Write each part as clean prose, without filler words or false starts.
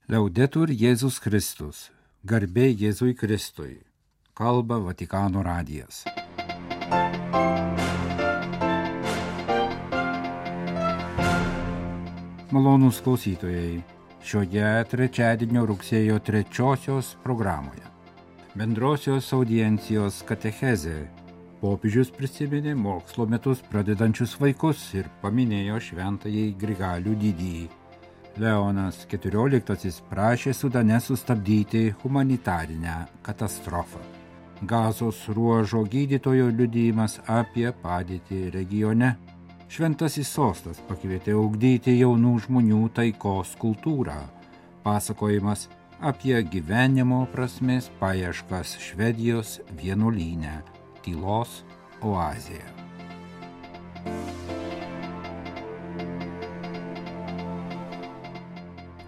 Liaudetur Jėzus Kristus, garbė Jėzui Kristui, kalba Vatikano radijas. Malonūs klausytojai, šioje trečiadienio rugsėjo 3 programoje. Bendrosios audiencijos katechezė. Popiežius prisiminė mokslo metus pradedančius vaikus ir paminėjo šventąjį Grigalių didįjį. Leonas XIV prašė Sudane sustabdyti humanitarinę katastrofą. Gazos ruožo gydytojo liudijimas apie padėtį regione. Šventasis sostas pakvietė ugdyti jaunų žmonių taikos kultūrą. Pasakojimas apie gyvenimo prasmės paieškas Švedijos vienuolyne, tylos oazėje.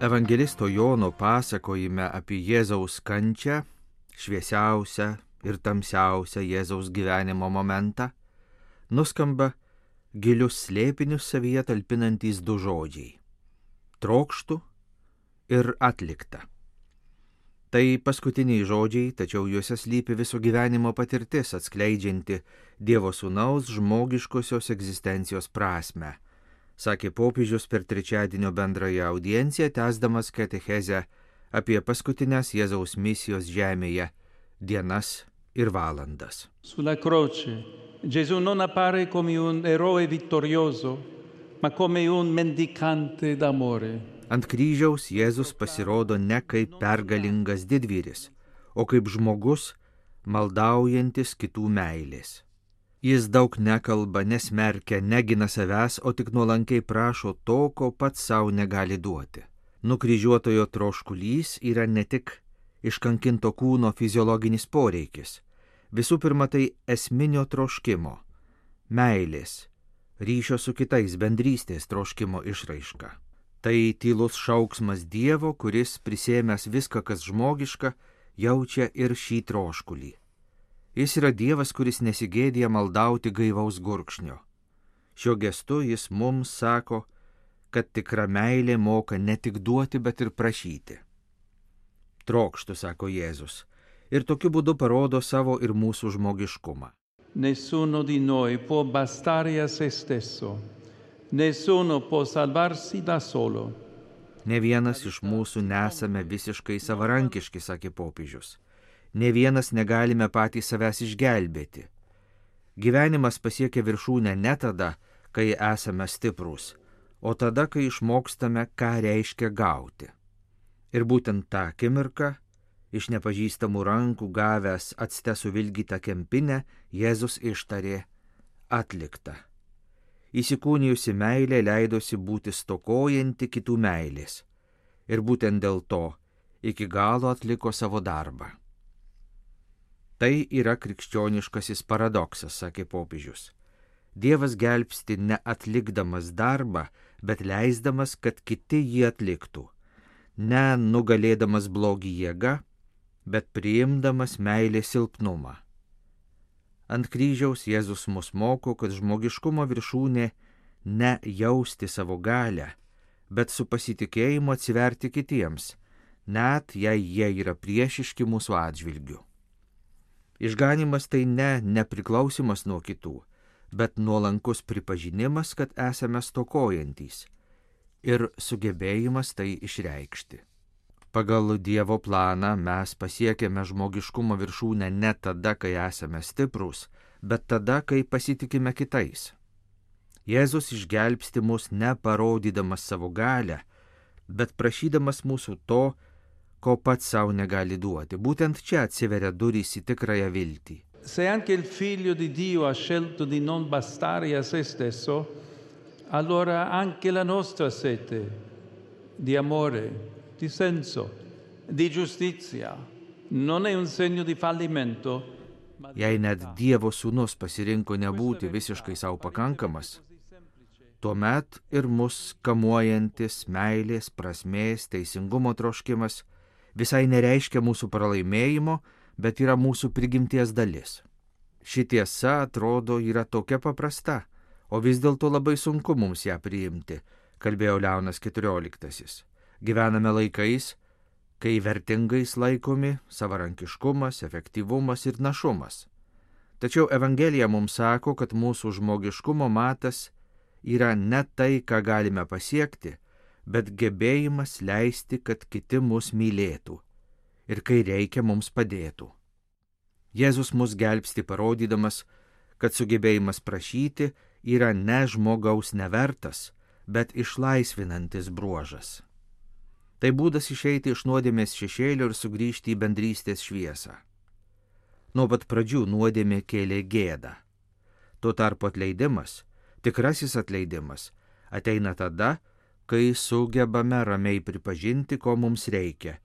Evangelisto Jono pasakojime apie Jėzaus kančią, šviesiausią ir tamsiausią Jėzaus gyvenimo momentą, nuskamba gilius slėpinius savyje talpinantys du žodžiai – trokštu ir atlikta. Tai paskutiniai žodžiai, tačiau juose slypi viso gyvenimo patirtis, atskleidžianti Dievo Sūnaus žmogiškosios egzistencijos prasmę, sakė popiežius per trečiadienio bendrąją audienciją, tęsdamas katechezę apie paskutinės Jėzaus misijos žemėje dienas ir valandas. Sulla croce, Gesù non appare come un eroe vittorioso, ma come un mendicante d'amore. Ant kryžiaus Jėzus pasirodo ne kaip pergalingas didvyris, o kaip žmogus maldaujantis kitų meilės. Jis daug nekalba, nesmerkia, negina savęs, o tik nuolankiai prašo to, ko pats savo negali duoti. Nukryžiuotojo troškulys yra ne tik iškankinto kūno fiziologinis poreikis. Visų pirma, tai esminio troškimo, meilės, ryšio su kitais, bendrystės troškimo išraiška. Tai tylus šauksmas Dievo, kuris prisėmęs viską, kas žmogiška, jaučia ir šį troškulį. Jis yra Dievas, kuris nesigėdija maldauti gaivaus gurkšnio. Šiuo gestu jis mums sako, kad tikra meilė moka ne tik duoti, bet ir prašyti. Trokštu, sako Jėzus, ir tokiu būdu parodo savo ir mūsų žmogiškumą. Nessuno di noi può bastare a se stesso. Nessuno può salvarsi da solo. Ne vienas iš mūsų nesame visiškai savarankiški, sakė popiežius. Ne vienas negalime patys savęs išgelbėti. Gyvenimas pasiekia viršūnę ne tada, kai esame stiprūs, o tada, kai išmokstame, ką reiškia gauti. Ir būtent tą akimirką, iš nepažįstamų rankų gavęs acte suvilgytą kempinę, Jėzus ištarė atlikta. Įsikūnijusi meilė leidosi būti stokojanti kitų meilės ir būtent dėl to iki galo atliko savo darbą. Tai yra krikščioniškasis paradoksas, sakė popiežius. Dievas gelbsti ne atlikdamas darbą, bet leisdamas, kad kiti jį atliktų, ne nugalėdamas blogį jėga, bet priimdamas meilės silpnumą. Ant kryžiaus Jėzus mus moko, kad žmogiškumo viršūnė ne jausti savo galią, bet su pasitikėjimu atsiverti kitiems, net jei jie yra priešiški mūsų atžvilgiu. Išganymas tai ne nepriklausimas nuo kitų, bet nuolankus pripažinimas, kad esame stokojantys ir sugebėjimas tai išreikšti. Pagal Dievo planą mes pasiekėme žmogiškumo viršūnę ne tada, kai esame stiprūs, bet tada, kai pasitikime kitais. Jėzus išgelbsti mus ne parodydamas savo galią, bet prašydamas mūsų to, ko pats savo negali duoti. Būtent čia atsiveria durys į tikrąją viltį. Se anche il Figlio di Dio ha scelto di non bastare a se stesso, allora anche la nostra sete di amore, di senso, di giustizia, non è un segno di fallimento. Jei net Dievo Sūnus pasirinko nebūti visiškai savo pakankamas, tuomet ir mus kamuojantis meilės, prasmės, teisingumo troškimas visai nereiškia mūsų pralaimėjimo, bet yra mūsų prigimties dalis. Ši tiesa, atrodo, yra tokia paprasta, o vis dėlto labai sunku mums ją priimti, kalbėjo Leonas XIV. Gyvename laikais, kai vertingais laikomi savarankiškumas, efektyvumas ir našumas. Tačiau Evangelija mums sako, kad mūsų žmogiškumo matas yra ne tai, ką galime pasiekti, bet gebėjimas leisti, kad kiti mus mylėtų ir kai reikia mums padėtų. Jėzus mus gelbsti parodydamas, kad sugebėjimas prašyti yra ne žmogaus nevertas, bet išlaisvinantis bruožas. Tai būdas išeiti iš nuodėmės šešėlio ir sugrįžti į bendrystės šviesą. Nuo pat pradžių nuodėmė kėlė gėdą. Tuo tarpu atleidimas, tikrasis atleidimas, ateina tada, kai sugebame ramiai pripažinti, ko mums reikia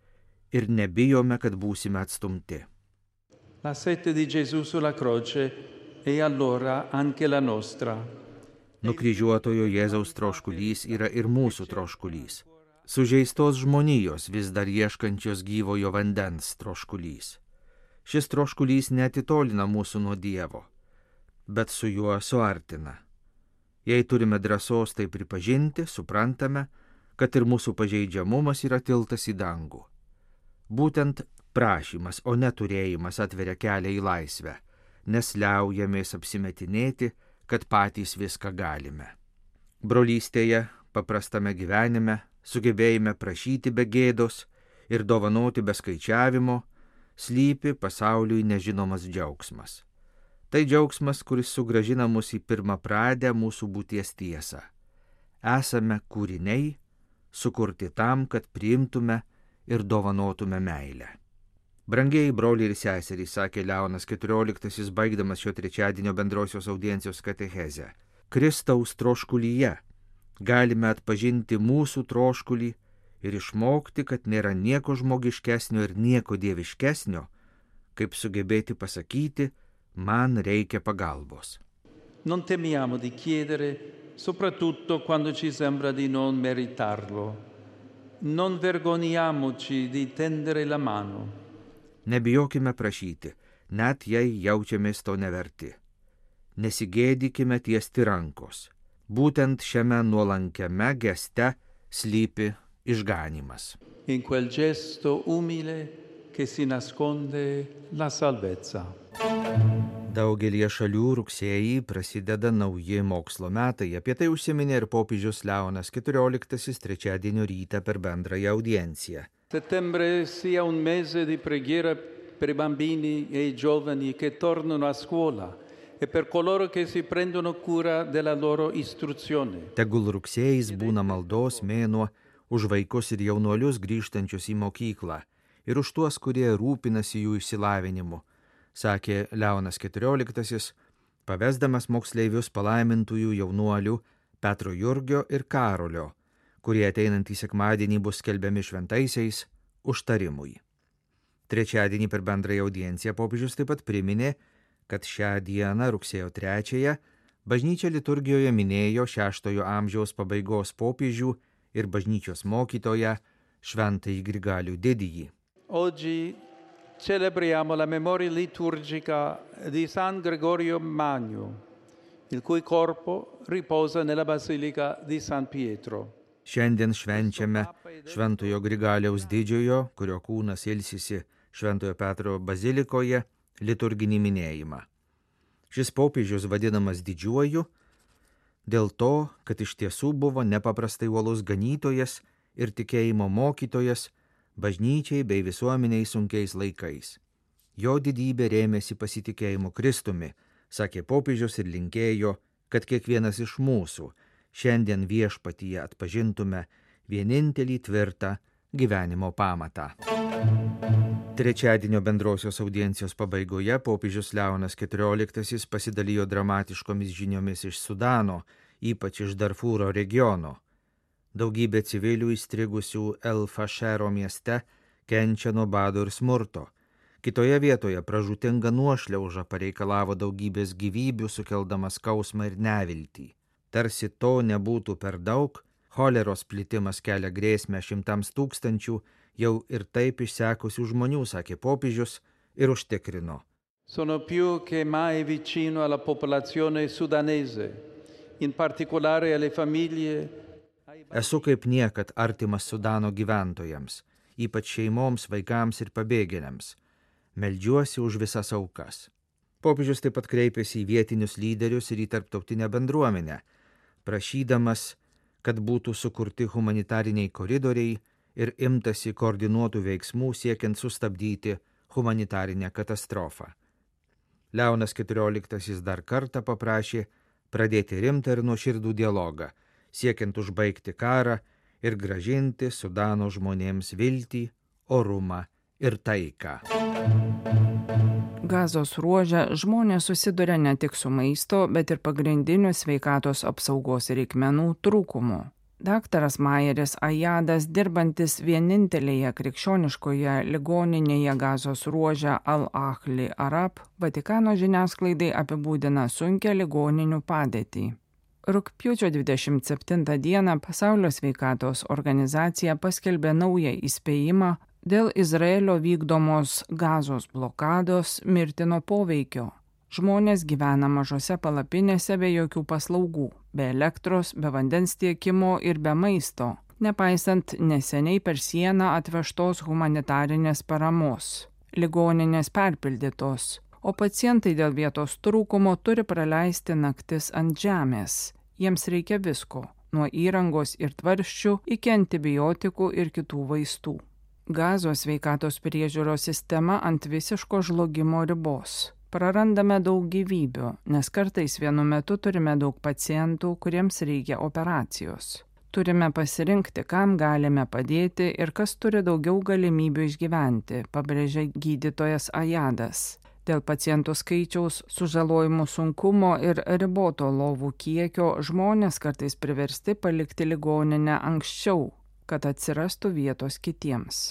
ir nebijome, kad būsime atstumti. La sete di Gesù sulla croce e allora anche la nostra. Nukryžiuotojo Jėzaus troškulys yra ir mūsų troškulys. Sužeistos žmonijos vis dar ieškančios gyvojo vandens troškulys. Šis troškulys neatitolina mūsų nuo Dievo, bet su juo suartina. Jei turime drąsos tai pripažinti, suprantame, kad ir mūsų pažeidžiamumas yra tiltas į dangų. Būtent prašymas, o neturėjimas atveria kelią į laisvę, nes liaujamės apsimetinėti, kad patys viską galime. Brolystėje, paprastame gyvenime, sugebėjime prašyti be gėdos ir dovanoti be skaičiavimo, slypi pasauliui nežinomas džiaugsmas. Tai džiaugsmas, kuris sugrąžina mus į pirmapradę mūsų būties tiesą. Esame kūriniai, sukurti tam, kad priimtume ir dovanotume meilę. Brangieji broliai ir seserys, sakė Leonas XIV, baigdamas šio trečiadienio bendrosios audiencijos katechezę, Kristaus troškulyje galime atpažinti mūsų troškulį ir išmokti, kad nėra nieko žmogiškesnio ir nieko dieviškesnio, kaip sugebėti pasakyti, man reikia pagalbos. Non temiamo di chiedere, soprattutto quando ci sembra di non meritarlo. Non vergogniamoci di tendere la mano. Nebijokime prašyti, net jei jaučiamės to neverti. Nesigėdykime tiesti rankos. Būtent šiame nuolankiame geste slypi išganymas. In quel gesto umile che si nasconde la salvezza. Daugelie šalių rugsėjį prasideda nauji mokslo metai. Apie tai užsiminė ir popiežius Leonas XIV trečiadienio rytą per bendrąją audienciją. Settembre sia un mese di preghiera per i bambini e i giovani che tornano a scuola e per coloro che si prendono cura della loro istruzione. Tegul rugsėjis būna maldos mėnuo už vaikus ir jaunuolius grįžtančius į mokyklą ir už tuos, kurie rūpinasi jų išsilavinimu, sakė Leonas XIV, pavesdamas moksleivius palaimintųjų jaunuolių Petro Jurgio ir Karolio, kurie ateinantį sekmadienį bus skelbiami šventaisiais užtarimui. Trečiadienį per bendrąją audienciją popiežius taip pat priminė, kad šią dieną rugsėjo 3 bažnyčia liturgijoje minėjo 6 amžiaus pabaigos popiežių ir bažnyčios mokytoją Šventąjį Grigalių Didįjį. Oggi celebriamo la memoria liturgica di San Gregorio Magno, il cui corpo riposa nella Basilica di San Pietro. Šiandien švenčiame Šventojo Grigaliaus Didžiojo, kurio kūnas ilsisi Šventojo Petro bazilikoje, liturginį minėjimą. Šis popiežius vadinamas didžiuoju dėl to, kad iš tiesų buvo nepaprastai uolus ganytojas ir tikėjimo mokytojas bažnyčiai bei visuomeniai sunkiais laikais. Jo didybė rėmėsi pasitikėjimu Kristumi, sakė popiežius ir linkėjo, kad kiekvienas iš mūsų šiandien viešpatyje atpažintume vienintelį tvirtą gyvenimo pamatą. Trečiadienio bendrosios audiencijos pabaigoje popiežius Leonas XIV pasidalijo dramatiškomis žiniomis iš Sudano, ypač iš Darfūro regiono. Daugybė civilių įstrigusių El Fašero mieste kenčia nuo bado ir smurto. Kitoje vietoje pražūtinga nuošliauža pareikalavo daugybės gyvybių, sukeldamas skausmą ir neviltį. Tarsi to nebūtų per daug, choleros plitimas kelia grėsmę šimtams tūkstančių jau ir taip išsekusių žmonių, sakė popiežius ir užtikrino. Sono più che mai vicino alla popolazione sudanese, in particolare alle famiglie. Esu kaip niekad artimas Sudano gyventojams, ypač šeimoms, vaikams ir pabėgėliams. Meldžiuosi už visas aukas. Popiežius taip pat kreipėsi į vietinius lyderius ir į tarptautinę bendruomenę, prašydamas, kad būtų sukurti humanitariniai koridoriai ir imtasi koordinuotų veiksmų siekiant sustabdyti humanitarinę katastrofą. Leonas XIV dar kartą paprašė pradėti rimtą ir nuoširdų dialogą, siekiant užbaigti karą ir grąžinti Sudano žmonėms viltį, orumą ir taiką. Gazos ruože žmonės susiduria ne tik su maisto, bet ir pagrindinių sveikatos apsaugos reikmenų trūkumu. Daktaras Majeris Ajadas, dirbantis vienintelėje krikščioniškoje ligoninėje Gazos ruože Al-Ahli Arab, Vatikano žiniasklaidai apibūdina sunkią ligoninių padėtį. Rugpjūčio 27 dieną Pasaulio sveikatos organizacija paskelbė naują įspėjimą dėl Izraelio vykdomos Gazos blokados mirtino poveikio. Žmonės gyvena mažose palapinėse be jokių paslaugų, be elektros, be vandens tiekimo ir be maisto, nepaisant neseniai per sieną atvežtos humanitarinės paramos. Ligoninės perpildytos, o pacientai dėl vietos trūkumo turi praleisti naktis ant žemės. Jiems reikia visko, nuo įrangos ir tvarsčių iki antibiotikų ir kitų vaistų. Gazos sveikatos priežiūros sistema ant visiško žlugimo ribos. Prarandame daug gyvybių, nes kartais vienu metu turime daug pacientų, kuriems reikia operacijos. Turime pasirinkti, kam galime padėti ir kas turi daugiau galimybių išgyventi, pabrėžia gydytojas Ajadas. Dėl pacientų skaičiaus, sužalojimų sunkumo ir riboto lovų kiekio žmonės kartais priversti palikti ligoninę anksčiau, kad atsirastų vietos kitiems.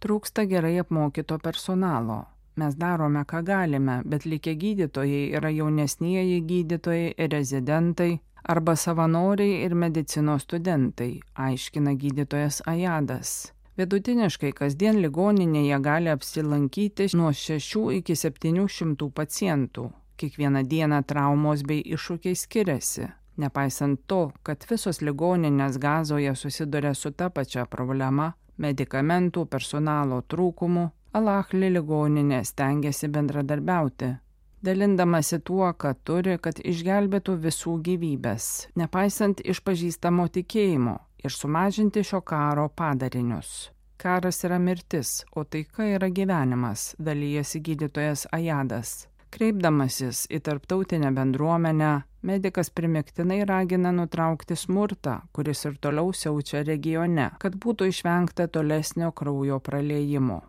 Trūksta gerai apmokyto personalo. Mes darome, ką galime, bet likę gydytojai yra jaunesnieji gydytojai ir rezidentai arba savanoriai ir medicinos studentai, aiškina gydytojas Ajadas. Vidutiniškai kasdien ligoninėje gali apsilankyti nuo 6 iki 700 pacientų. Kiekvieną dieną traumos bei iššūkiai skiriasi. Nepaisant to, kad visos ligoninės Gazoje susiduria su ta pačia problema – medikamentų, personalo trūkumu, Al-Ahli ligoninė stengiasi bendradarbiauti, dalindamasi tuo, ką turi, kad išgelbėtų visų gyvybės, nepaisant išpažįstamo tikėjimo ir sumažinti šio karo padarinius. Karas yra mirtis, o taika yra gyvenimas, dalijasi gydytojas Ajadas. Kreipdamasis į tarptautinę bendruomenę, medikas primygtinai ragina nutraukti smurtą, kuris ir toliau siaučia regione, kad būtų išvengta tolesnio kraujo praliejimo.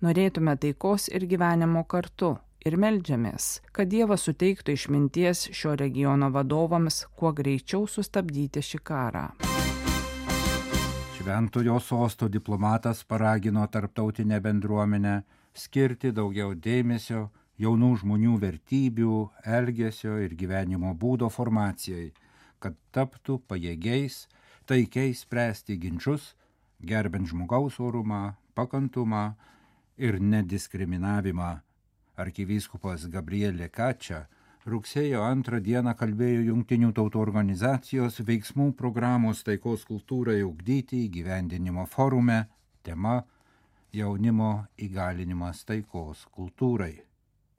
Norėtume taikos ir gyvenimo kartu ir meldžiamės, kad Dievas suteiktų išminties šio regiono vadovams kuo greičiau sustabdyti šį karą. Šventojo sosto diplomatas paragino tarptautinę bendruomenę skirti daugiau dėmesio jaunų žmonių vertybių, elgesio ir gyvenimo būdo formacijai, kad taptų pajėgiais, taikiai spręsti ginčus, gerbent žmogaus orumą, pakantumą ir nediskriminavimą. Arkivyskupas Gabriel Lekačia rugsėjo 2 dieną kalbėjo Jungtinių tautų organizacijos veiksmų programos taikos kultūrai ugdyti įgyvendinimo forume, tema jaunimo įgalinimas taikos kultūrai.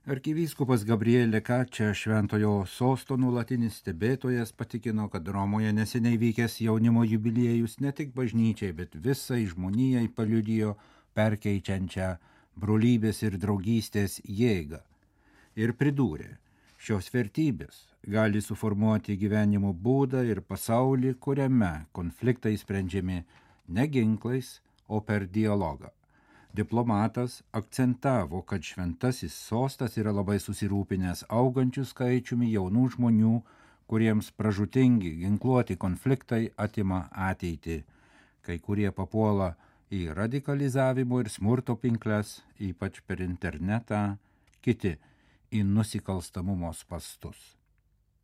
Arkivyskupas Gabriel Lekačia, Šventojo sosto nuolatinis stebėtojas, patikino, kad Romoje neseniai vykęs jaunimo jubiliejus ne tik bažnyčiai, bet visai žmonijai paliudijo perkeičiančią brolybės ir draugystės jėgą. Ir pridūrė, šios vertybės gali suformuoti gyvenimo būdą ir pasaulį, kuriame konfliktai sprendžiami ne ginklais, o per dialogą. Diplomatas akcentavo, kad šventasis sostas yra labai susirūpinęs augančių skaičiumi jaunų žmonių, kuriems pražūtingi ginkluoti konfliktai atima ateitį. Kai kurie papuola į radikalizavimo ir smurto pinkles, ypač per internetą, kiti į nusikalstamumo spastus.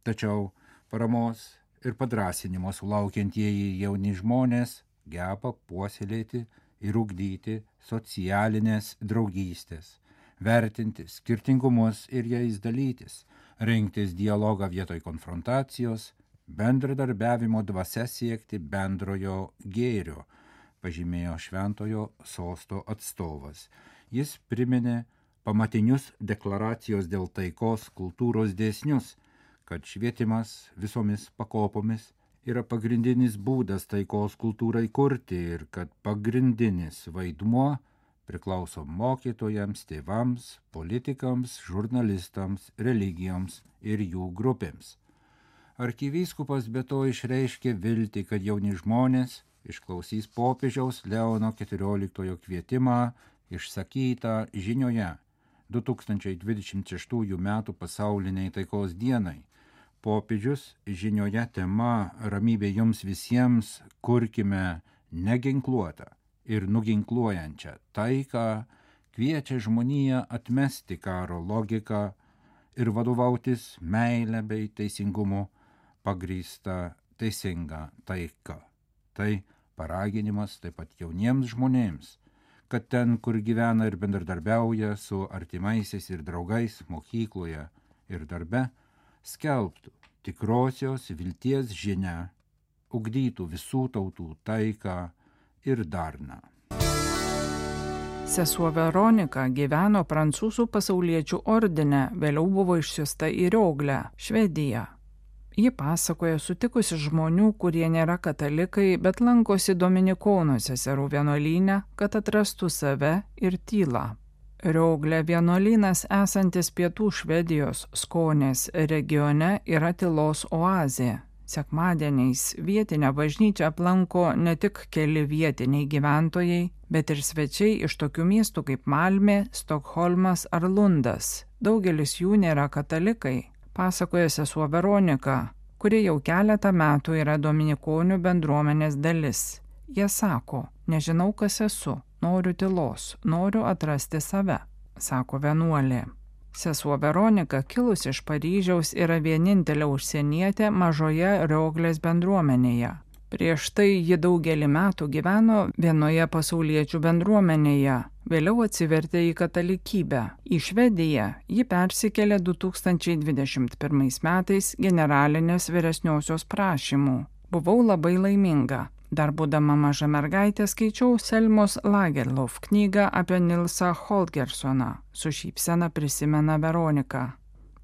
Tačiau paramos ir padrąsinimo sulaukiantieji jauni žmonės geba puoselėti ir ugdyti socialinės draugystės, vertinti skirtingumus ir jais dalytis, rinktis dialogą vietoj konfrontacijos, bendradarbiavimo dvasia siekti bendrojo gėrio, pažymėjo Šventojo sosto atstovas. Jis priminė pamatinius deklaracijos dėl taikos kultūros dėsnius, kad švietimas visomis pakopomis yra pagrindinis būdas taikos kultūrai kurti ir kad pagrindinis vaidmuo priklauso mokytojams, tėvams, politikams, žurnalistams, religijoms ir jų grupėms. Arkivyskupas be to išreiškė viltį, kad jauni žmonės išklausys popiežiaus Leono XIV kvietimą išsakytą žinioje 2026 m. pasauliniai taikos dienai. Popiežius žinioje tema Ramybė jums visiems kurkime neginkluotą ir nuginkluojančią taiką kviečia žmoniją atmesti karo logiką ir vadovautis meile bei teisingumu pagrįsta teisinga taika. Tai paraginimas taip pat jauniems žmonėms, kad ten, kur gyvena ir bendradarbiauja su artimaisiais ir draugais mokykloje ir darbe, skelbtų tikrosios vilties žinią, ugdytų visų tautų taiką ir darną. Sesuo Veronika gyveno prancūzų pasauliečių ordine, vėliau buvo išsiųsta į Rioglę, Švediją. Ji pasakoja sutikusi žmonių, kurie nėra katalikai, bet lankosi Dominikonų seserų vienuolyne, kad atrastų save ir tylą. Rioglė vienuolynas esantis pietų Švedijos Skonės regione yra tylos oazė. Sekmadieniais vietinę bažnyčią aplanko ne tik keli vietiniai gyventojai, bet ir svečiai iš tokių miestų kaip Malmė, Stokholmas ar Lundas. Daugelis jų nėra katalikai, pasakoja sesuo Veronika, kuri jau keletą metų yra dominikonių bendruomenės dalis. Jie sako, nežinau, kas esu, noriu tylos, noriu atrasti save, sako vienuolė. Sesuo Veronika, kilusi iš Paryžiaus, yra vienintelė užsienietė mažoje Rioglės bendruomenėje. Prieš tai ji daugelį metų gyveno vienoje pasauliečių bendruomenėje, vėliau atsivertė į katalikybę. Į Švediją ji persikėlė 2021 metais generalinės vyresniosios prašymų. Buvau labai laiminga. Dar būdama maža mergaitė skaičiau Selmos Lagerlof knygą apie Nilsą Holgerssoną, su šypsena prisimena Veronika.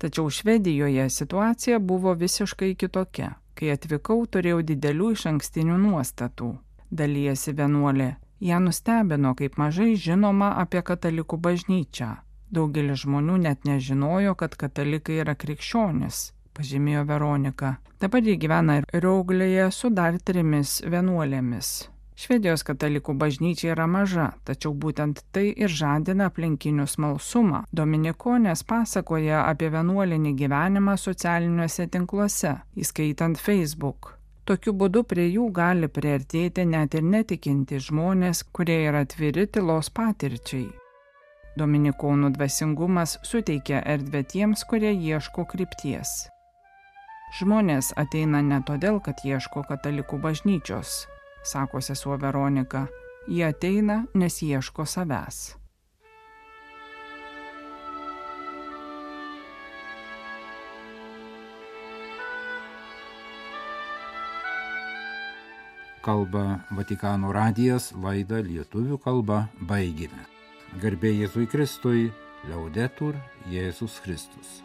Tačiau Švedijoje situacija buvo visiškai kitokia. Kai atvykau, turėjau didelių išankstinių nuostatų. Dalijasi vienuolė. Ją nustebino, kaip mažai žinoma apie katalikų bažnyčią. Daugelis žmonių net nežinojo, kad katalikai yra krikščionis, pažymėjo Veronika. Dabar ji gyvena Rioglėje su dar 3 vienuolėmis. Švedijos katalikų bažnyčia yra maža, tačiau būtent tai ir žadina aplinkinių smalsumą. Dominikonės pasakoja apie vienuolinį gyvenimą socialiniuose tinkluose, įskaitant Facebook. Tokiu būdu prie jų gali priartėti net ir netikinti žmonės, kurie yra atviri tylos patirčiai. Dominikonų dvasingumas suteikia erdvę tiems, kurie ieško krypties. Žmonės ateina ne todėl, kad ieško katalikų bažnyčios, sako sesuo Veronika. Jie ateina, nes ieško savęs. Kalba Vatikano radijas, laidą lietuvių kalba baigėme. Garbė Jėzui Kristui, Laudetur Jėzus Kristus.